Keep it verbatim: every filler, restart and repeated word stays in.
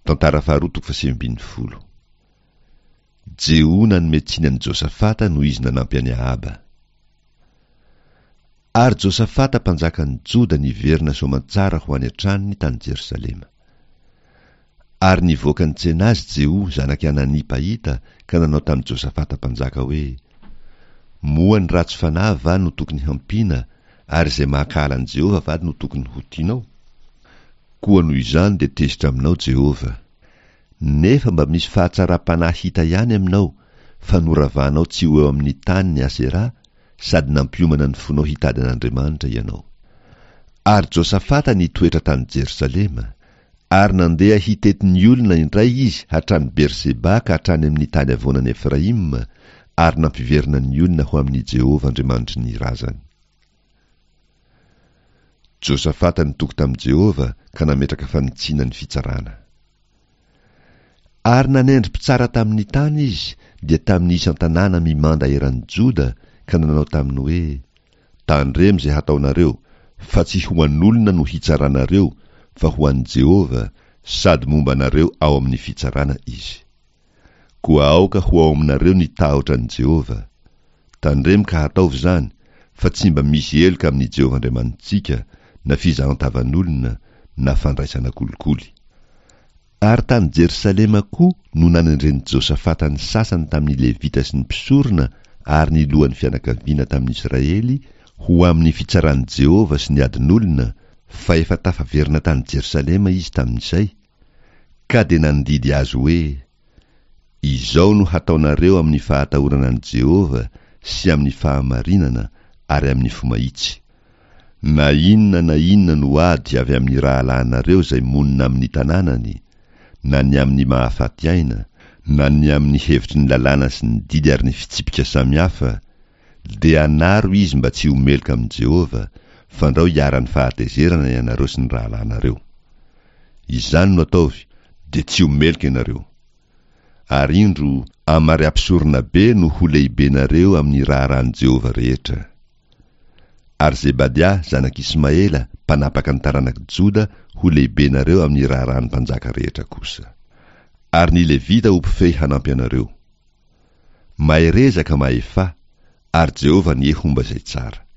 Tantara faharoa toko fahasivy ambin'ny folo. Jeho nanome tsiny an'i Josafata noho izy nanampy an'i Ahaba. Ary Josafata mpanjakan'ny Joda niverina soamantsara ho any an-tranony tany Jerosalema. Ary nivoaka nitsena azy Jeho zanak'i Anania mpahita ka nanao tamin'i Josafata mpanjaka hoe, Moa ny ratsy fanahy va no tokony hampiana, ary izay mankahala an'i Jehovah va no tokony ho tianao? Koa noho izany dia tezitra aminao Jehovah. Nefa mba misy fahatsaram-panahy hita ihany aminao, fa noravanao tsy ho eo amin'ny tany ny Asera, sady nampiomana ny fonao hitady an'Andriamanitra ianao. Ary Josafata nitoetra tany Jerosalema, ary nandeha hitety ny olona indray izy hatrany Berseba ka hatrany amin'ny tany havoanan'i Efraima, ary nampiverina ny olona ho amin'i Jehovah Andriamanitry ny razany. Josafata nitoky tamin'i Jehovah ka nametraka fanitsiana ny fitsarana. Ary nanendry mpitsara tamin'ny tany izy, dia tamin'ny isan-tanàna mimanda eran'i Joda, ka nanao taminy hoe, Tandremo izay hataonareo, fa tsy ho an'olona no hitsaranareo, fa ho an'i Jehovah, sady momba anareo ao amin'ny fitsarana izy. Koa aoka ho ao aminareo ny tahotra an'i Jehovah. Tandremo ka hataovy izany, fa tsy mba misy heloka amin'i Jehovah Andriamanitsika, na fizahan-tavan'olona, na fandraisana kolikoly. Ary tany Jerosalema koa no nanendren'i Josafata ny sasany tamin'ny Levita sy ny mpisorona ary ny lohan'ny fianakaviana tamin'ny Israely ho amin'ny fitsaran'i Jehovah sy ny adin'olona, fa efa tafaverina tany Jerosalema izy tamin'izay, ka dia nandidy azy hoe, Izao no hataonareo amin'ny fahatahorana an'i Jehovah sy amin'ny fahamarinana ary amin'ny fo mahitsy. Na inona na inona no ady avy amin'ny rahalahinareo izay monina amin'ny tanànany, na ny amin'ny mahafaty aina, na ny amin'ny hevitry ny lalàna sy ny didy ary ny fitsipika samihafa, dia anaro izy mba tsy ho meloka amin'i Jehovah, fandrao hiharan'ny fahatezerana ianareo sy ny rahalahinareo. Izany no ataovy, dia tsy ho meloka ianareo. Ary indro, Amaria mpisoronabe no ho lehibenareo amin'ny raharahan'i Jehovah rehetra. Ary Zebadia, zanak'Ismaela, mpanapaka ny taranak'i Joda, ho lehibenareo amin'ny raharahan'ny mpanjaka rehetra kosa. Ary ny Levita ho mpifehy hanampy anareo. Mahereza ka mahefà, ary Jehovah anie homba izay tsara.